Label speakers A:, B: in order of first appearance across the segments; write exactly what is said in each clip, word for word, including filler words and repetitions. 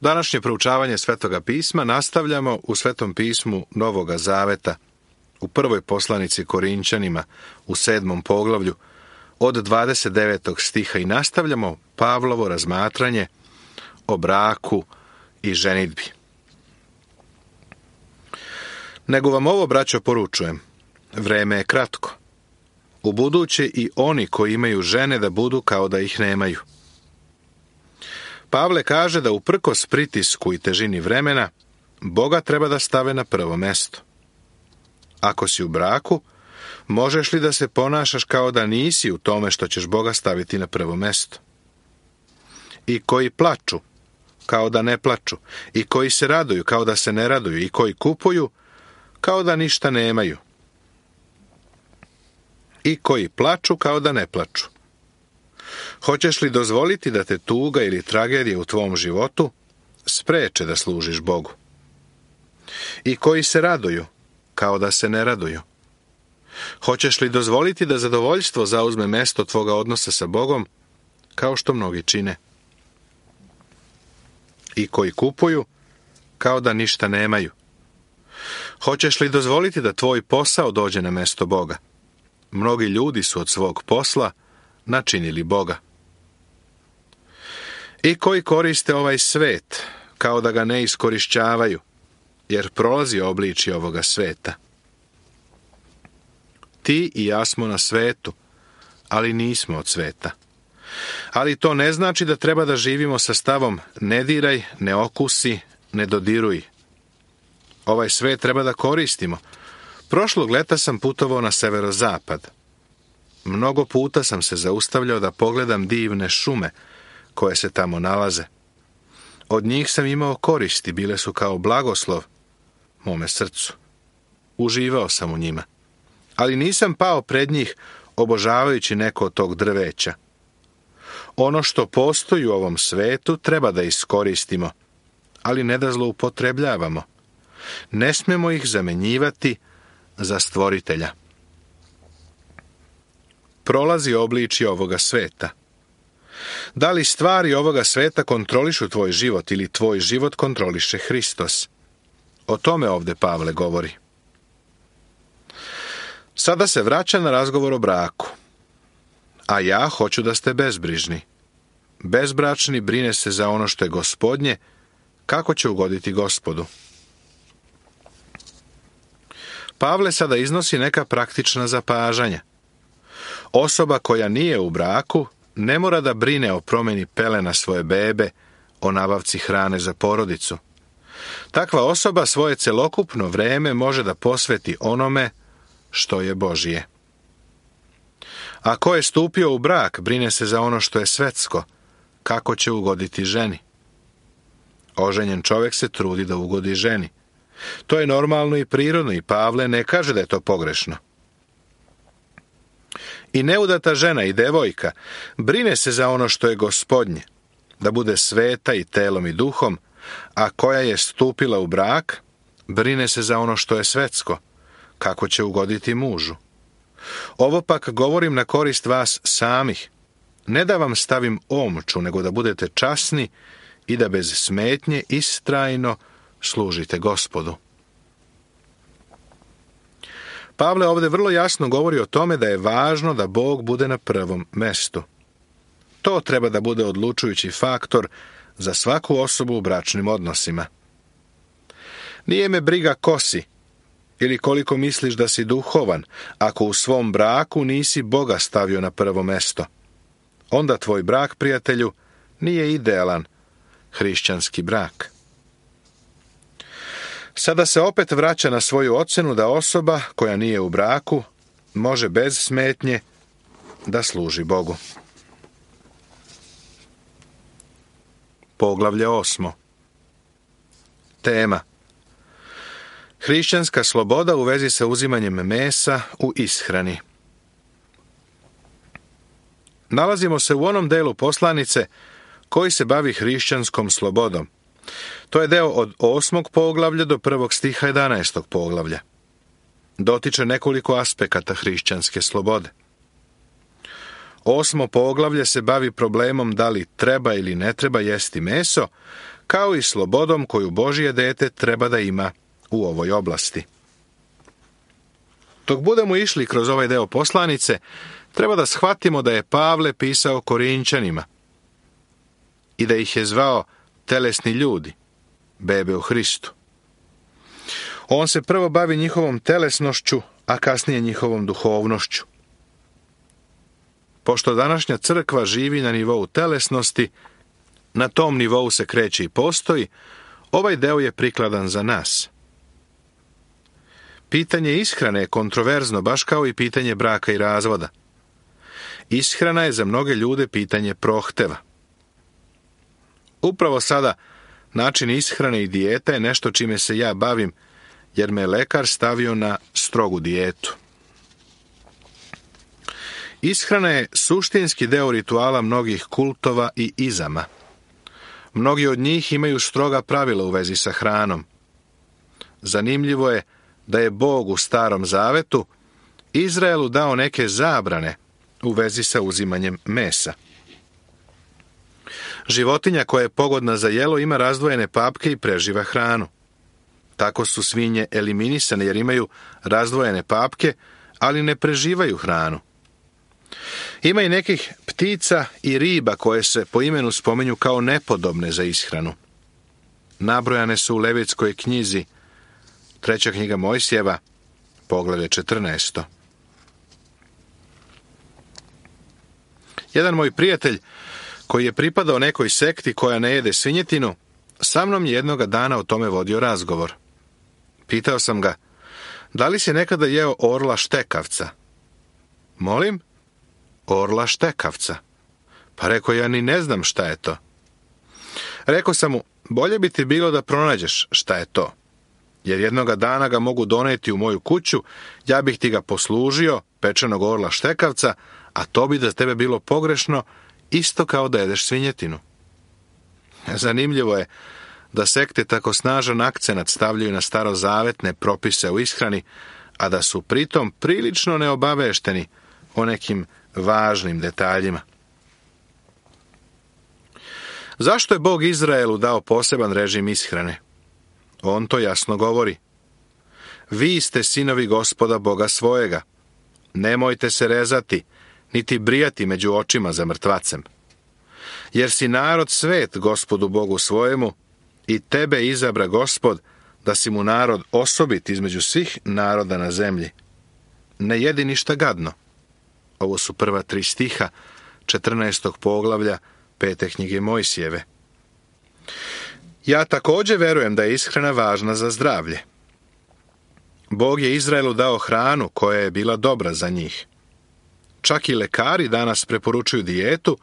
A: Današnje proučavanje Svetoga pisma nastavljamo u Svetom pismu Novoga Zaveta, u prvoj poslanici Korinčanima, u sedmom poglavlju, od dvadeset devetog stiha i nastavljamo Pavlovo razmatranje o braku i ženidbi. Nego vam ovo, braćo, poručujem, vreme je kratko. Ubuduće i oni koji imaju žene da budu kao da ih nemaju. Pavle kaže da uprkos pritisku i težini vremena, Boga treba da stave na prvo mesto. Ako si u braku, možeš li da se ponašaš kao da nisi u tome što ćeš Boga staviti na prvo mesto? I koji plaču, kao da ne plaču, i koji se raduju, kao da se ne raduju, i koji kupuju, kao da ništa nemaju, i koji plaču, kao da ne plaču. Hoćeš li dozvoliti da te tuga ili tragedija u tvom životu spreče da služiš Bogu? I koji se raduju, kao da se ne raduju. Hoćeš li dozvoliti da zadovoljstvo zauzme mesto tvoga odnosa sa Bogom, kao što mnogi čine? I koji kupuju, kao da ništa nemaju. Hoćeš li dozvoliti da tvoj posao dođe na mesto Boga? Mnogi ljudi su od svog posla načinili Boga. I koji koriste ovaj svet, kao da ga ne iskorišćavaju, jer prolazi obličje ovoga sveta. Ti i ja smo na svetu, ali nismo od sveta. Ali to ne znači da treba da živimo sa stavom ne diraj, ne okusi, ne dodiruj. Ovaj svet treba da koristimo. Prošlog leta sam putovao na severozapad. Mnogo puta sam se zaustavljao da pogledam divne šume koje se tamo nalaze. Od njih sam imao koristi, bile su kao blagoslov mome srcu. Uživao sam u njima. Ali nisam pao pred njih obožavajući neko od tog drveća. Ono što postoji u ovom svetu treba da iskoristimo, ali ne da zloupotrebljavamo. Ne smemo ih zamenjivati za stvoritelja. Prolazi obličje ovoga sveta. Da li stvari ovoga sveta kontrolišu tvoj život ili tvoj život kontroliše Hristos? O tome ovde Pavle govori. Sada se vraća na razgovor o braku. A ja hoću da ste bezbrižni. Bezbračni brine se za ono što je Gospodnje, kako će ugoditi Gospodu. Pavle sada iznosi neka praktična zapažanja. Osoba koja nije u braku ne mora da brine o promjeni pelena svoje bebe, o nabavci hrane za porodicu. Takva osoba svoje celokupno vreme može da posveti onome što je Božije. A ko je stupio u brak, brine se za ono što je svetsko, kako će ugoditi ženi. Oženjen čovjek se trudi da ugodi ženi. To je normalno i prirodno i Pavle ne kaže da je to pogrešno. I neudata žena i devojka brine se za ono što je Gospodnje, da bude sveta i telom i duhom, a koja je stupila u brak, brine se za ono što je svetsko, kako će ugoditi mužu. Ovo pak govorim na korist vas samih. Ne da vam stavim omču, nego da budete časni i da bez smetnje istrajno služite Gospodu. Pavle ovdje vrlo jasno govori o tome da je važno da Bog bude na prvom mestu. To treba da bude odlučujući faktor za svaku osobu u bračnim odnosima. Nije me briga ko si ili koliko misliš da si duhovan, ako u svom braku nisi Boga stavio na prvo mesto. Onda tvoj brak, prijatelju, nije idealan hrišćanski brak. Sada se opet vraća na svoju ocenu da osoba koja nije u braku može bez smetnje da služi Bogu. Poglavlje osmo. Tema: hrišćanska sloboda u vezi sa uzimanjem mesa u ishrani. Nalazimo se u onom delu poslanice koji se bavi hrišćanskom slobodom. To je deo od osmog poglavlja do prvog stiha jedanaestog poglavlja. Dotiče nekoliko aspekata hrišćanske slobode. Osmo poglavlje se bavi problemom da li treba ili ne treba jesti meso, kao i slobodom koju Božje dete treba da ima u ovoj oblasti. Dok budemo išli kroz ovaj deo poslanice, treba da shvatimo da je Pavle pisao Korinćanima i da ih je zvao telesni ljudi, bebe u Hristu. On se prvo bavi njihovom telesnošću, a kasnije njihovom duhovnošću. Pošto današnja crkva živi na nivou telesnosti, na tom nivou se kreće i postoji, ovaj deo je prikladan za nas. Pitanje ishrane je kontroverzno, baš kao i pitanje braka i razvoda. Ishrana je za mnoge ljude pitanje prohteva. Upravo sada, način ishrane i dijeta je nešto čime se ja bavim, jer me lekar stavio na strogu dijetu. Ishrana je suštinski deo rituala mnogih kultova i izama. Mnogi od njih imaju stroga pravila u vezi sa hranom. Zanimljivo je da je Bog u Starom Zavetu Izraelu dao neke zabrane u vezi sa uzimanjem mesa. Životinja koja je pogodna za jelo ima razdvojene papke i preživa hranu. Tako su svinje eliminisane jer imaju razdvojene papke, ali ne preživaju hranu. Ima i nekih ptica i riba koje se po imenu spominju kao nepodobne za ishranu. Nabrojane su u Levitskoj knjizi, treća knjiga Mojsijeva, poglavlje četrnaesto. Jedan moj prijatelj, koji je pripadao nekoj sekti koja ne jede svinjetinu, sa mnom je jednoga dana o tome vodio razgovor. Pitao sam ga, da li si nekada jeo orla štekavca? Molim? Orla štekavca. Pa rekao, ja ni ne znam šta je to. Rekao sam mu, bolje bi ti bilo da pronađeš šta je to, jer jednoga dana ga mogu doneti u moju kuću, ja bih ti ga poslužio, pečenog orla štekavca, a to bi za tebe bilo pogrešno, isto kao da jedeš svinjetinu. Zanimljivo je da sekte tako snažan akcenat stavljaju na starozavetne propise u ishrani, a da su pritom prilično neobavešteni o nekim važnim detaljima. Zašto je Bog Izraelu dao poseban režim ishrane? On to jasno govori. Vi ste sinovi Gospoda Boga svojega. Nemojte se rezati, niti brijati među očima za mrtvacem. Jer si narod svet Gospodu Bogu svojemu i tebe izabra Gospod da si mu narod osobit između svih naroda na zemlji. Ne jedi ništa gadno. Ovo su prva tri stiha četrnaestog poglavlja pete knjige Mojsijeve. Ja također verujem da je ishrana važna za zdravlje. Bog je Izraelu dao hranu koja je bila dobra za njih. Čak i lekari danas preporučuju dijetu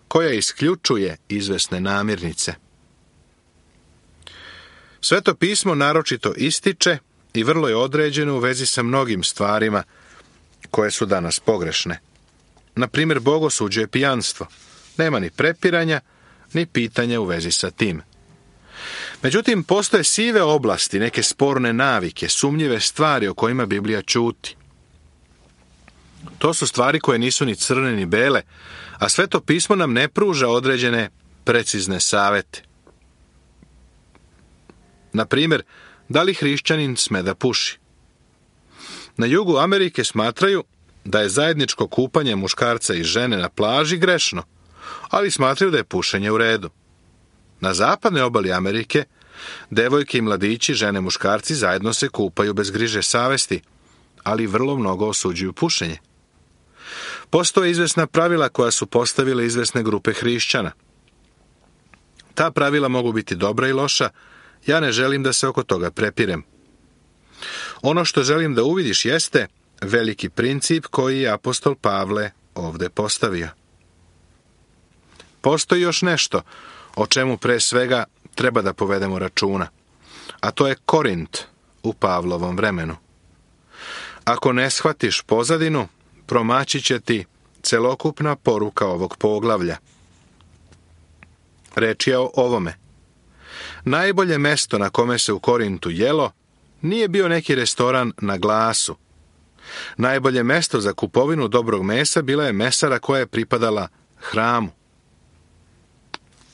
A: koja isključuje izvesne namirnice. Sveto pismo naročito ističe i vrlo je određeno u vezi sa mnogim stvarima koje su danas pogrešne. Na primjer, bogosuđe je pijanstvo. Nema ni prepiranja, ni pitanja u vezi sa tim. Međutim, postoje sive oblasti, neke sporne navike, sumnjive stvari o kojima Biblija ćuti. To su stvari koje nisu ni crne ni bele, a Sveto pismo nam ne pruža određene precizne savete. Na primjer, da li hrišćanin sme da puši? Na jugu Amerike smatraju da je zajedničko kupanje muškarca i žene na plaži grešno, ali smatraju da je pušenje u redu. Na zapadnoj obali Amerike, devojke i mladići, žene, muškarci zajedno se kupaju bez griže savesti, ali vrlo mnogo osuđuju pušenje. Postoje izvesna pravila koja su postavile izvesne grupe hrišćana. Ta pravila mogu biti dobra i loša, ja ne želim da se oko toga prepirem. Ono što želim da uvidiš jeste veliki princip koji je apostol Pavle ovdje postavio. Postoji još nešto o čemu pre svega treba da povedemo računa, a to je Korint u Pavlovom vremenu. Ako ne shvatiš pozadinu, promaći će ti celokupna poruka ovog poglavlja. Reč je o ovome. Najbolje mesto na kome se u Korintu jelo nije bio neki restoran na glasu. Najbolje mesto za kupovinu dobrog mesa bila je mesara koja je pripadala hramu.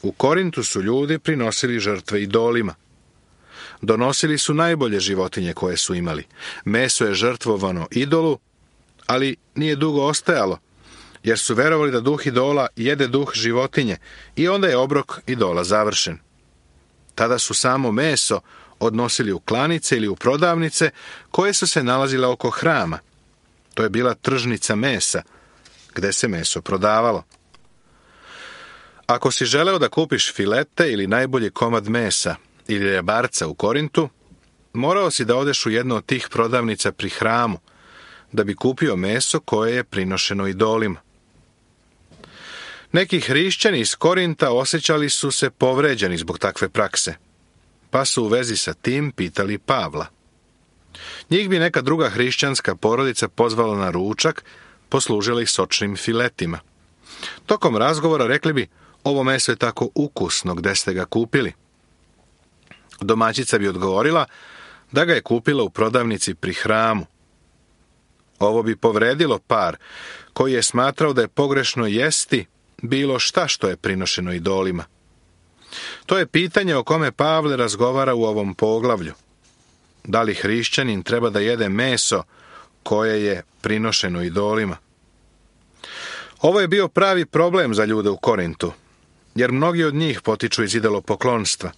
A: U Korintu su ljudi prinosili žrtve idolima. Donosili su najbolje životinje koje su imali. Meso je žrtvovano idolu, ali nije dugo ostajalo, jer su verovali da duh idola jede duh životinje i onda je obrok idola završen. Tada su samo meso odnosili u klanice ili u prodavnice koje su se nalazile oko hrama. To je bila tržnica mesa, gde se meso prodavalo. Ako si želeo da kupiš filete ili najbolji komad mesa ili rebarca u Korintu, morao si da odeš u jednu od tih prodavnica pri hramu, da bi kupio meso koje je prinošeno idolima. Neki hrišćani iz Korinta osjećali su se povređeni zbog takve prakse, pa su u vezi sa tim pitali Pavla. Njih bi neka druga hrišćanska porodica pozvala na ručak, poslužila ih sočnim filetima. Tokom razgovora rekli bi, ovo meso je tako ukusno, gde ste ga kupili? Domaćica bi odgovorila da ga je kupila u prodavnici pri hramu. Ovo bi povredilo par, koji je smatrao da je pogrešno jesti bilo šta što je prinošeno idolima. To je pitanje o kome Pavle razgovara u ovom poglavlju. Da li hrišćanin treba da jede meso koje je prinošeno idolima? Ovo je bio pravi problem za ljude u Korintu, jer mnogi od njih potiču iz idolopoklonstva.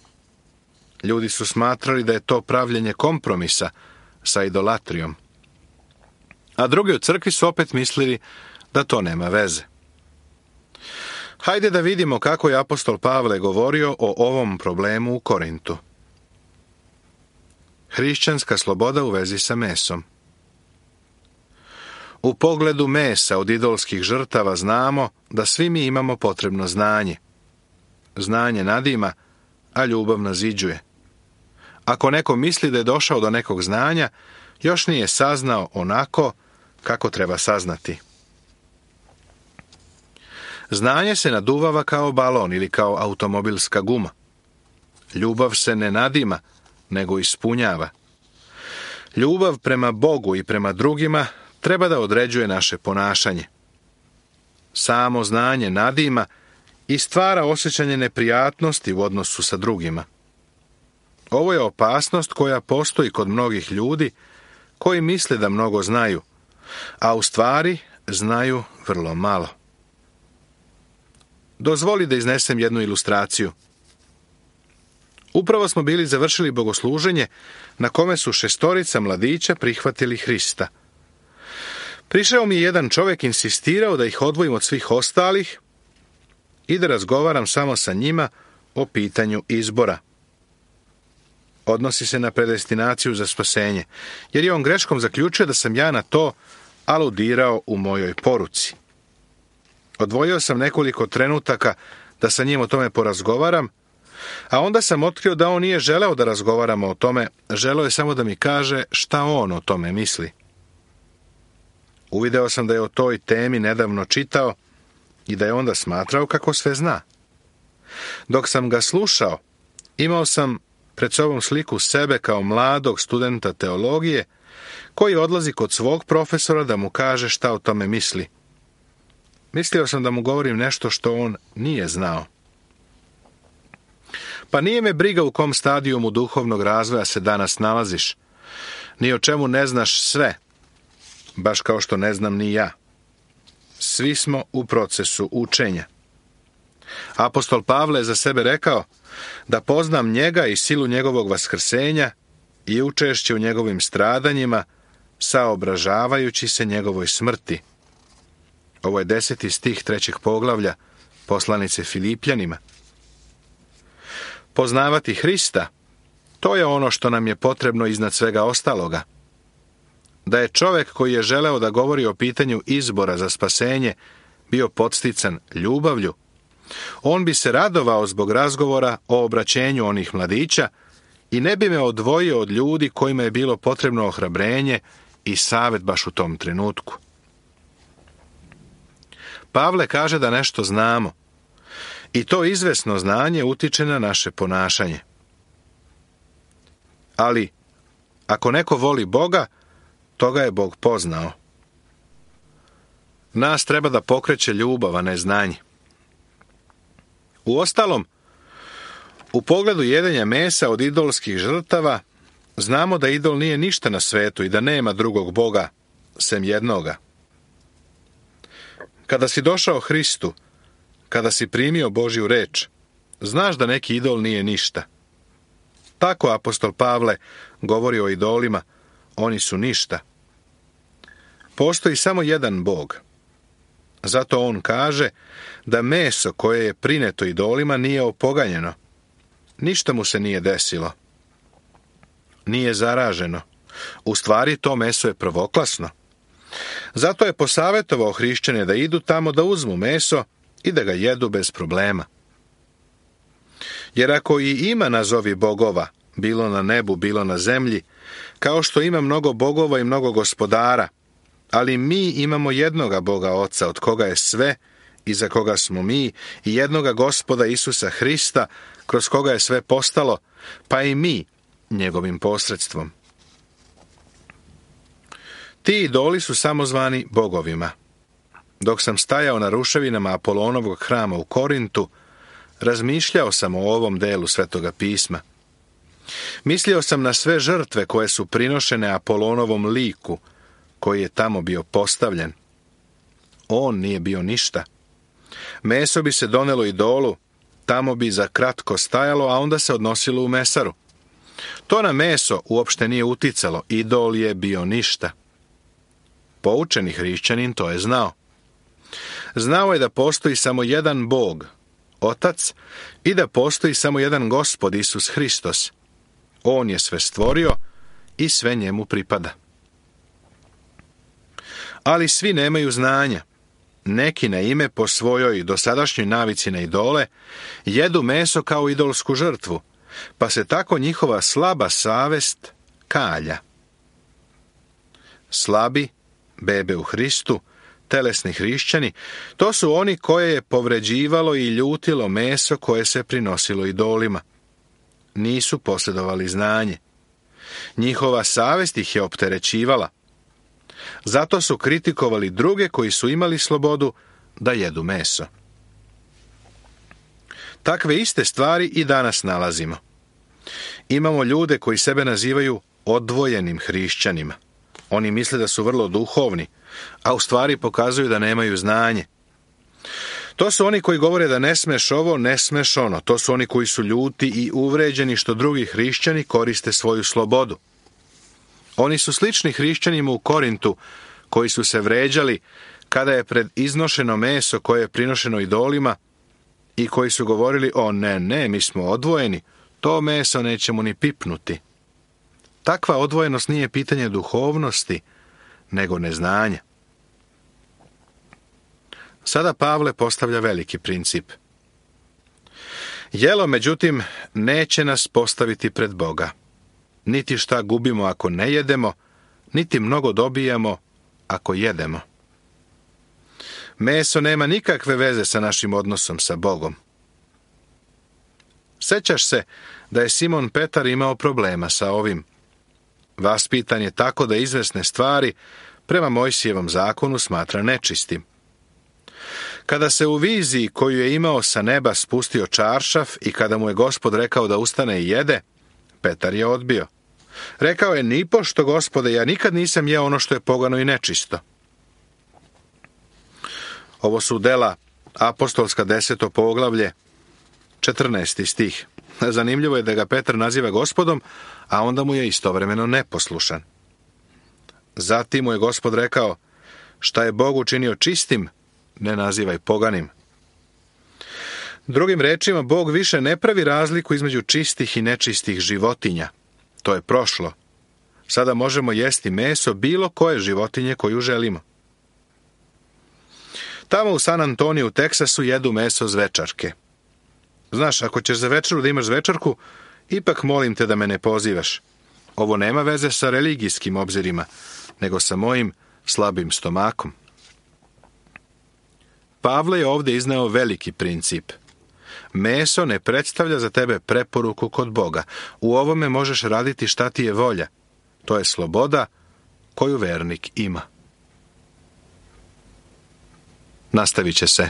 A: Ljudi su smatrali da je to pravljenje kompromisa sa idolatrijom. A drugi u crkvi su opet mislili da to nema veze. Hajde da vidimo kako je apostol Pavle govorio o ovom problemu u Korintu. Hrišćanska sloboda u vezi sa mesom. U pogledu mesa od idolskih žrtava znamo da svi mi imamo potrebno znanje. Znanje nadima, a ljubav naziđuje. Ako neko misli da je došao do nekog znanja, još nije saznao onako kako treba saznati. Znanje se naduvava kao balon ili kao automobilska guma. Ljubav se ne nadima, nego ispunjava. Ljubav prema Bogu i prema drugima treba da određuje naše ponašanje. Samo znanje nadima i stvara osjećanje neprijatnosti u odnosu sa drugima. Ovo je opasnost koja postoji kod mnogih ljudi koji misle da mnogo znaju, a u stvari znaju vrlo malo. Dozvoli da iznesem jednu ilustraciju. Upravo smo bili završili bogosluženje na kome su šestorica mladića prihvatili Hrista. Prišao mi je jedan čovjek, insistirao da ih odvojim od svih ostalih i da razgovaram samo sa njima o pitanju izbora. Odnosi se na predestinaciju za spasenje, jer je on greškom zaključio da sam ja na to aludirao u mojoj poruci. Odvojio sam nekoliko trenutaka da sa njim o tome porazgovaram, a onda sam otkrio da on nije želeo da razgovaramo o tome, želeo je samo da mi kaže šta on o tome misli. Uvideo sam da je o toj temi nedavno čitao i da je onda smatrao kako sve zna. Dok sam ga slušao, imao sam pred sobom sliku sebe kao mladog studenta teologije koji odlazi kod svog profesora da mu kaže šta o tome misli. Mislio sam da mu govorim nešto što on nije znao. Pa nije me briga u kom stadijumu duhovnog razvoja se danas nalaziš. Ni o čemu ne znaš sve, baš kao što ne znam ni ja. Svi smo u procesu učenja. Apostol Pavle je za sebe rekao da poznam njega i silu njegovog vaskrsenja i učešće u njegovim stradanjima, saobražavajući se njegovoj smrti. Ovo je deseti stih trećeg poglavlja poslanice Filipljanima. Poznavati Hrista, to je ono što nam je potrebno iznad svega ostaloga. Da je čovjek koji je želeo da govori o pitanju izbora za spasenje bio podstican ljubavlju, on bi se radovao zbog razgovora o obraćenju onih mladića i ne bi me odvojio od ljudi kojima je bilo potrebno ohrabrenje i savjet baš u tom trenutku. Pavle kaže da nešto znamo i to izvesno znanje utiče na naše ponašanje. Ali, ako neko voli Boga, toga je Bog poznao. Nas treba da pokreće ljubav, a ne znanje. Uostalom, U pogledu jedenja mesa od idolskih žrtava, znamo da idol nije ništa na svetu i da nema drugog Boga, sem jednoga. Kada si došao Hristu, kada si primio Božju reč, znaš da neki idol nije ništa. Tako apostol Pavle govori o idolima, oni su ništa. Postoji samo jedan Bog. Zato on kaže da meso koje je prineto idolima nije opoganjeno. Ništa mu se nije desilo. Nije zaraženo. U stvari to meso je prvoklasno. Zato je posavjetovao hrišćane da idu tamo da uzmu meso i da ga jedu bez problema. Jer ako i ima nazovi bogova, bilo na nebu, bilo na zemlji, kao što ima mnogo bogova i mnogo gospodara, ali mi imamo jednoga Boga Oca, od koga je sve i za koga smo mi, i jednoga Gospoda Isusa Hrista, kroz koga je sve postalo, pa i mi njegovim posredstvom. Ti idoli su samozvani bogovima. Dok sam stajao na ruševinama Apolonovog hrama u Korintu, razmišljao sam o ovom delu Svetoga pisma. Mislio sam na sve žrtve koje su prinošene Apolonovom liku, koji je tamo bio postavljen. On nije bio ništa. Meso bi se donelo idolu, tamo bi za kratko stajalo, a onda se odnosilo u mesaru. To na meso uopšte nije uticalo, idol je bio ništa. Poučeni hrišćanin to je znao. Znao je da postoji samo jedan Bog, Otac, i da postoji samo jedan Gospod Isus Hristos. On je sve stvorio i sve njemu pripada. Ali svi nemaju znanja. Neki na ime po svojoj dosadašnjoj navici na idole jedu meso kao idolsku žrtvu, pa se tako njihova slaba savest kalja. Slabi, bebe u Hristu, telesni hrišćani, to su oni koje je povređivalo i ljutilo meso koje se prinosilo idolima. Nisu posjedovali znanje. Njihova savest ih je opterećivala. Zato su kritikovali druge koji su imali slobodu da jedu meso. Takve iste stvari i danas nalazimo. Imamo ljude koji sebe nazivaju odvojenim hrišćanima. Oni misle da su vrlo duhovni, a u stvari pokazuju da nemaju znanje. To su oni koji govore da ne smeš ovo, ne smeš ono. To su oni koji su ljuti i uvređeni što drugi hrišćani koriste svoju slobodu. Oni su slični hrišćanima u Korintu, koji su se vređali kada je pred iznošeno meso koje je prinošeno idolima i koji su govorili, o ne, ne, mi smo odvojeni, to meso nećemo ni pipnuti. Takva odvojenost nije pitanje duhovnosti, nego neznanja. Sada Pavle postavlja veliki princip. Jelo, međutim, neće nas postaviti pred Boga. Niti šta gubimo ako ne jedemo, niti mnogo dobijamo ako jedemo. Meso nema nikakve veze sa našim odnosom sa Bogom. Sećaš se da je Simon Petar imao problema sa ovim. Vaspitan je tako da izvesne stvari prema Mojsijevom zakonu smatra nečistim. Kada se u viziji koju je imao sa neba spustio čaršaf i kada mu je Gospod rekao da ustane i jede, Petar je odbio. Rekao je, nipošto, Gospode, ja nikad nisam jeo ono što je pogano i nečisto. Ovo su dela apostolska deseto poglavlje, četrnaesti stih. Zanimljivo je da ga Petar naziva Gospodom, a onda mu je istovremeno neposlušan. Zatim mu je Gospod rekao, šta je Bog učinio čistim, ne nazivaj poganim. Drugim rečima, Bog više ne pravi razliku između čistih i nečistih životinja. To je prošlo. Sada možemo jesti meso bilo koje životinje koju želimo. Tamo u San Antoniju u Teksasu jedu meso zvečarke. Znaš, ako ćeš za večeru da imaš zvečarku, ipak molim te da me ne pozivaš. Ovo nema veze sa religijskim obzirima, nego sa mojim slabim stomakom. Pavle je ovdje izneo veliki princip. Meso ne predstavlja za tebe preporuku kod Boga. U ovome možeš raditi šta ti je volja. To je sloboda koju vernik ima. Nastavit će se.